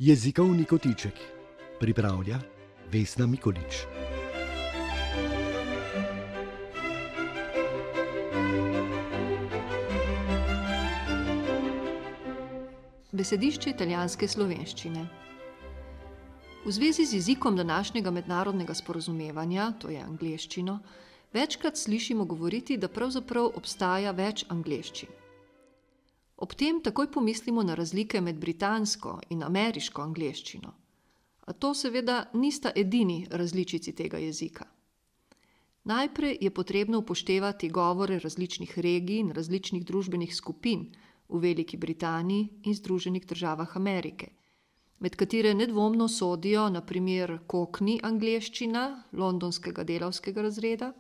Jezikovni kotiček pripravlja Vesna Mikolič. Besedišče italijanske slovenščine. V zvezi z jezikom današnjega mednarodnega sporazumevanja, to je angleščino, večkrat slišimo govoriti, da pravzaprav obstaja več angleščin. Ob tem takoj pomislimo na razlike med britansko in ameriško angleščino, a to seveda nista edini različici tega jezika. Najprej je potrebno upoštevati govore različnih regij in različnih družbenih skupin v Veliki Britaniji in Združenih državah Amerike, med katere nedvomno sodijo na primer cockney angleščina londonskega delavskega razreda,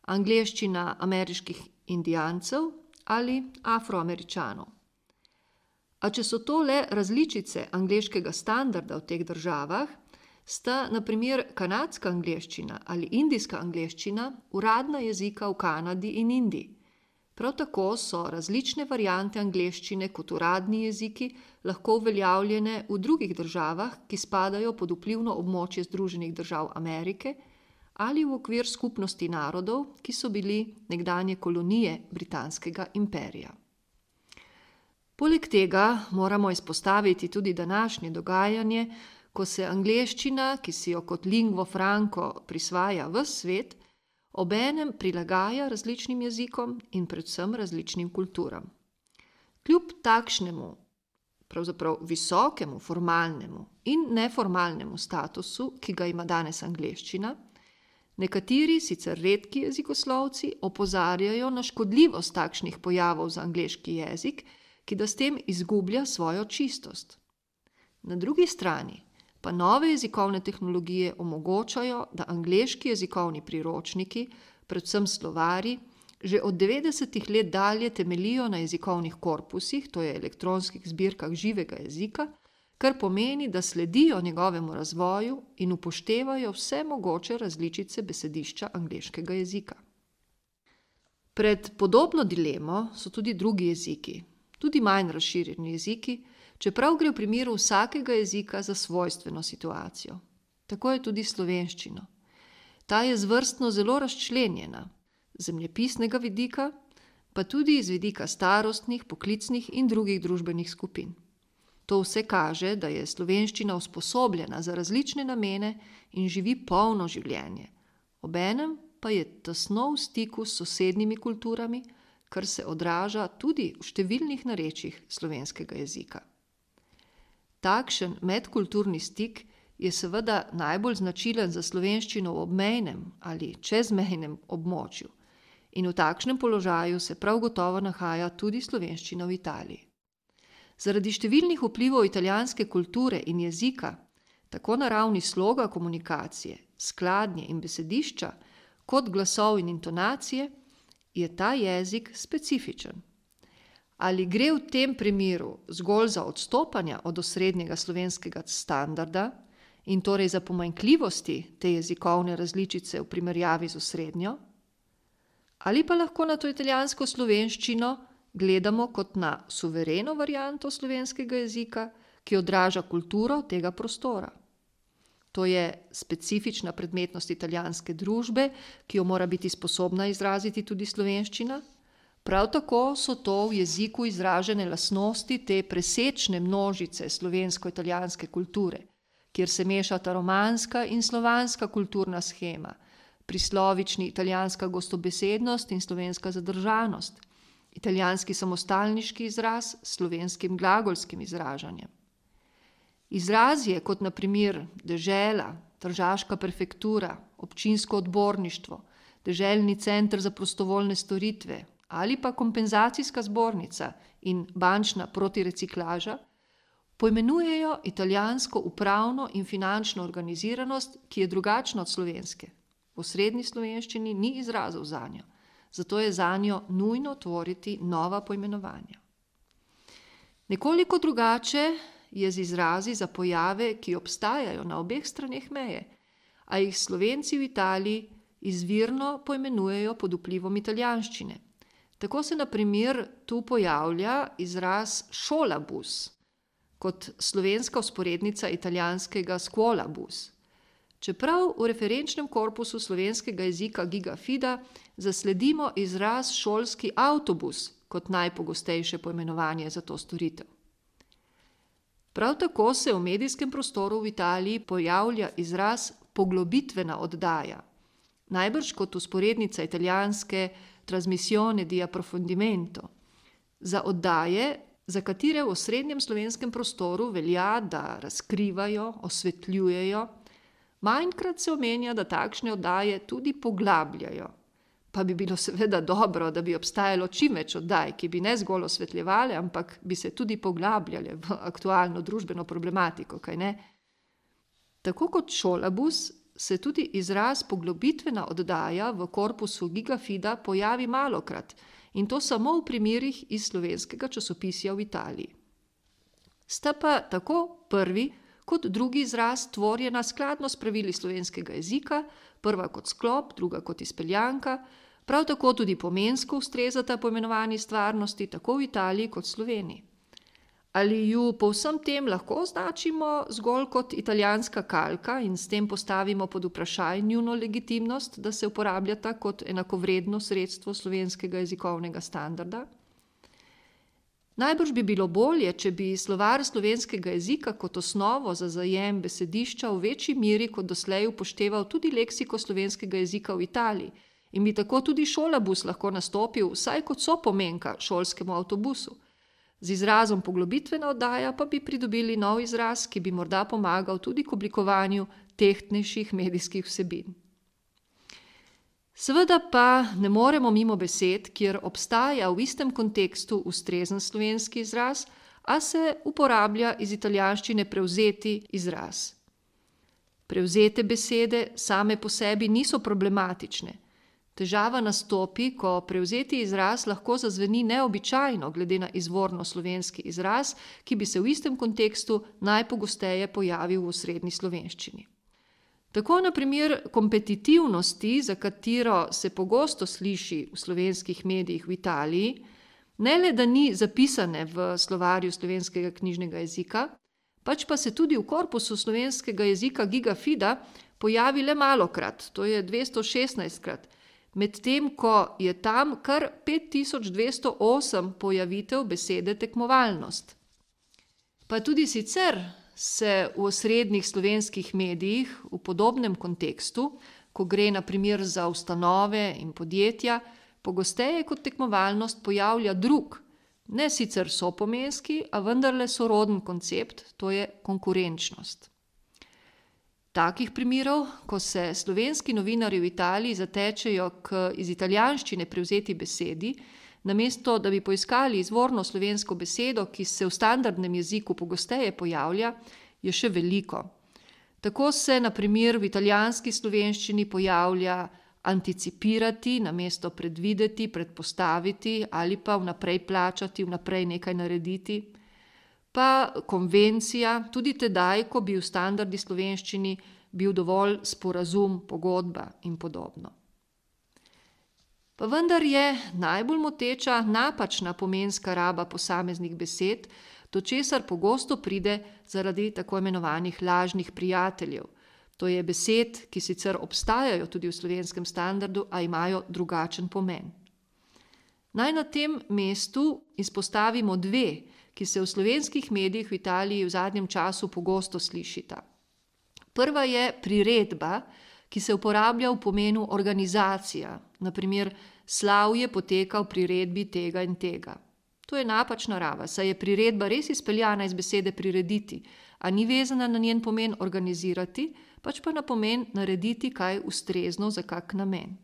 angleščina ameriških indijancev ali Afroameričanov. A če so to le različice angleškega standarda v teh državah, sta na primer kanadska angleščina ali indijska angleščina uradna jezika v Kanadi in Indiji. Prav tako so različne variante angleščine kot uradni jeziki lahko uveljavljene v drugih državah, ki spadajo pod vplivno območje Združenih držav Amerike ali v okvir skupnosti narodov, ki so bili nekdanje kolonije britanskega imperija. Poleg tega moramo izpostaviti tudi današnje dogajanje, ko se angleščina, ki si jo kot lingvo franco prisvaja ves svet, obenem prilagaja različnim jezikom in predvsem različnim kulturam. Kljub takšnemu, pravzaprav visokemu formalnemu in neformalnemu statusu, ki ga ima danes angleščina, nekateri sicer redki jezikoslovci opozarjajo na škodljivost takšnih pojavov za angleški jezik, ki da s tem izgublja svojo čistost. Na drugi strani pa nove jezikovne tehnologije omogočajo, da angleški jezikovni priročniki, predvsem slovarji, že od 90. let dalje temeljijo na jezikovnih korpusih, to je elektronskih zbirkah živega jezika, kar pomeni, da sledijo njegovemu razvoju in upoštevajo vse mogoče različice besedišča angleškega jezika. Pred podobno dilemo so tudi drugi jeziki, tudi manj razširjeni jeziki, čeprav gre v primeru vsakega jezika za svojstveno situacijo. Tako je tudi slovenščino. Ta je zvrstno zelo razčlenjena, z zemljepisnega vidika, pa tudi iz vidika starostnih, poklicnih in drugih družbenih skupin. To vse kaže, da je slovenščina usposobljena za različne namene in živi polno življenje. Obenem pa je tesno v stiku s sosednjimi kulturami, kar se odraža tudi v številnih narečjih slovenskega jezika. Takšen medkulturni stik je seveda najbolj značilen za slovenščino v obmejnem ali čezmejnem območju in v takšnem položaju se prav gotovo nahaja tudi slovenščina v Italiji. Zaradi številnih vplivov italijanske kulture in jezika, tako na ravni sloga komunikacije, skladnje in besedišča, kot glasov in intonacije, je ta jezik specifičen. Ali gre v tem primeru zgolj za odstopanja od osrednjega slovenskega standarda in torej za pomanjkljivosti te jezikovne različice v primerjavi z osrednjo? Ali pa lahko na to italijansko slovenščino gledamo kot na suvereno varianto slovenskega jezika, ki odraža kulturo tega prostora? To je specifična predmetnost italijanske družbe, ki jo mora biti sposobna izraziti tudi slovenščina. Prav tako so to v jeziku izražene lastnosti te presečne množice slovensko-italijanske kulture, kjer se mešata romanska in slovanska kulturna shema, prislovični italijanska gostobesednost in slovenska zadržanost, italijanski samostalniški izraz s slovenskim glagolskim izražanjem. Izrazje kot na primer dežela, tržaška prefektura, občinsko odborništvo, deželni center za prostovoljne storitve ali pa kompenzacijska zbornica in bančna protireciklaža poimenujejo italijansko upravno in finančno organiziranost, ki je drugačna od slovenske. V osrednji slovenščini ni izrazov zanjo, zato je zanjo nujno tvoriti nova poimenovanja. Nekoliko drugače je z izrazi za pojave, ki obstajajo na obeh straneh meje, a jih Slovenci v Italiji izvirno poimenujejo pod vplivom italijanščine. Tako se na primer tu pojavlja izraz šolabus, kot slovenska vzporednica italijanskega scuolabus. Čeprav v referenčnem korpusu slovenskega jezika Gigafida zasledimo izraz šolski avtobus kot najpogostejše poimenovanje za to storitev. Prav tako se v medijskem prostoru v Italiji pojavlja izraz poglobitvena oddaja, najbrž kot vzporednica italijanske trasmissione di approfondimento, za oddaje, za katere v osrednjem slovenskem prostoru velja, da razkrivajo, osvetljujejo. Manjkrat se omenja, da takšne oddaje tudi poglabljajo. Pa bi bilo seveda dobro, da bi obstajalo čim več oddaj, ki bi ne zgolj osvetljevale, ampak bi se tudi poglabljale v aktualno družbeno problematiko, kaj ne? Tako kot šolabus se tudi izraz poglobitvena oddaja v korpusu Gigafida pojavi malokrat, in to samo v primerih iz slovenskega časopisja v Italiji. Sta pa tako prvi kot drugi izraz tvorjena skladno s pravili slovenskega jezika, prva kot sklop, druga kot izpeljanka, prav tako tudi pomensko ustrezata poimenovani stvarnosti tako v Italiji kot Sloveniji. Ali ju po vsem tem lahko označimo zgolj kot italijanska kalka in s tem postavimo pod vprašaj njuno legitimnost, da se uporabljata kot enakovredno sredstvo slovenskega jezikovnega standarda? Najbrž bi bilo bolje, če bi slovar slovenskega jezika kot osnovo za zajem besedišča v večji meri kot doslej upošteval tudi leksiko slovenskega jezika v Italiji in bi tako tudi šolabus lahko nastopil vsaj kot sopomenka šolskemu avtobusu. Z izrazom poglobitvena oddaja pa bi pridobili nov izraz, ki bi morda pomagal tudi k oblikovanju tehtnejših medijskih vsebin. Seveda pa ne moremo mimo besed, kjer obstaja v istem kontekstu ustrezen slovenski izraz, a se uporablja iz italijanščine prevzeti izraz. Prevzete besede same po sebi niso problematične. Težava nastopi, ko prevzeti izraz lahko zazveni neobičajno glede na izvorno slovenski izraz, ki bi se v istem kontekstu najpogosteje pojavil v osrednji slovenščini. Tako na primer kompetitivnosti, za katero se pogosto sliši v slovenskih medijih v Italiji, ne le da ni zapisane v slovarju slovenskega knjižnega jezika, pač pa se tudi v korpusu slovenskega jezika Gigafida pojavi le malokrat, to je 216krat, medtem ko je tam kar 5208 pojavitev besede tekmovalnost. Pa tudi sicer se v osrednjih slovenskih medijih v podobnem kontekstu, ko gre na primer za ustanove in podjetja, pogosteje kot tekmovalnost pojavlja drug, ne sicer sopomenski, a vendarle soroden koncept, to je konkurenčnost. Takih primerov, ko se slovenski novinarji v Italiji zatečejo k iz italijanščine prevzeti besedi, namesto da bi poiskali izvorno slovensko besedo, ki se v standardnem jeziku pogosteje pojavlja, je še veliko. Tako se na primer v italijanski slovenščini pojavlja anticipirati, namesto predvideti, predpostaviti ali pa vnaprej plačati, vnaprej nekaj narediti. Pa konvencija, tudi tedaj, ko bi v standardni slovenščini bil dovolj sporazum, pogodba in podobno. Pa vendar je najbolj moteča napačna pomenska raba posameznih besed, do česar pogosto pride zaradi tako imenovanih lažnih prijateljev. To je besed, ki sicer obstajajo tudi v slovenskem standardu, a imajo drugačen pomen. Naj na tem mestu izpostavimo dve, ki se v slovenskih medijih v Italiji v zadnjem času pogosto slišita. Prva je priredba, ki se uporablja v pomenu organizacija, na primer slavje poteka v priredbi tega in tega. To je napačna raba, saj je priredba res izpeljana iz besede prirediti, a ni vezana na njen pomen organizirati, pač pa na pomen narediti kaj ustrezno za kak namen.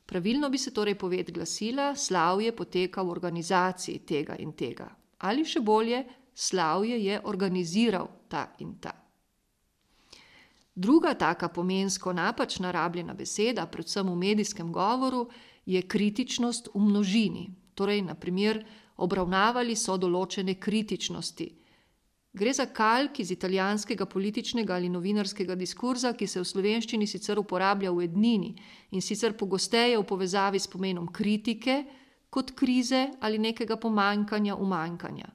Pravilno bi se torej poved glasila, slavje poteka v organizaciji tega in tega. Ali še bolje, slavje je organiziral ta in ta. Druga taka pomensko napačna rabljena beseda, predvsem v medijskem govoru, je kritičnost v množini. Torej, na primer, obravnavali so določene kritičnosti. Gre za kalk iz italijanskega političnega ali novinarskega diskurza, ki se v slovenščini sicer uporablja v ednini in sicer pogosteje v povezavi s pomenom kritike, kot krize ali nekega pomanjkanja, umanjkanja.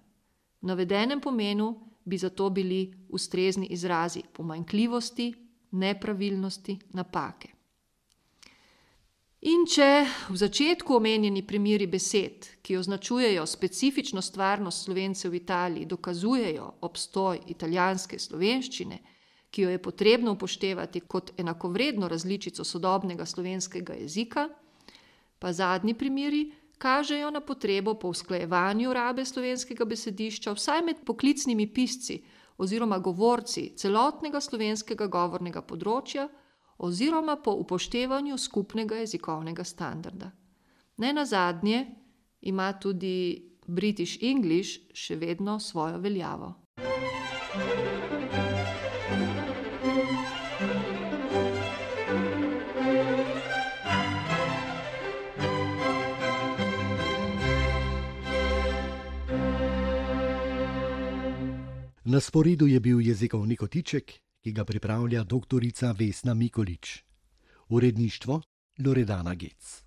V navedenem pomenu bi zato bili ustrezni izrazi pomanjkljivosti, nepravilnosti, napake. In če v začetku omenjeni primeri besed, ki označujejo specifično stvarnost Slovencev v Italiji, dokazujejo obstoj italijanske slovenščine, ki jo je potrebno upoštevati kot enakovredno različico sodobnega slovenskega jezika, pa zadnji primeri kažejo na potrebo po usklajevanju rabe slovenskega besedišča vsaj med poklicnimi pisci oziroma govorci celotnega slovenskega govornega področja oziroma po upoštevanju skupnega jezikovnega standarda. Nenazadnje ima tudi British English še vedno svojo veljavo. Na sporedu je bil jezikovni kotiček, ki ga pripravlja doktorica Vesna Mikolič. Uredništvo Loredana Gec.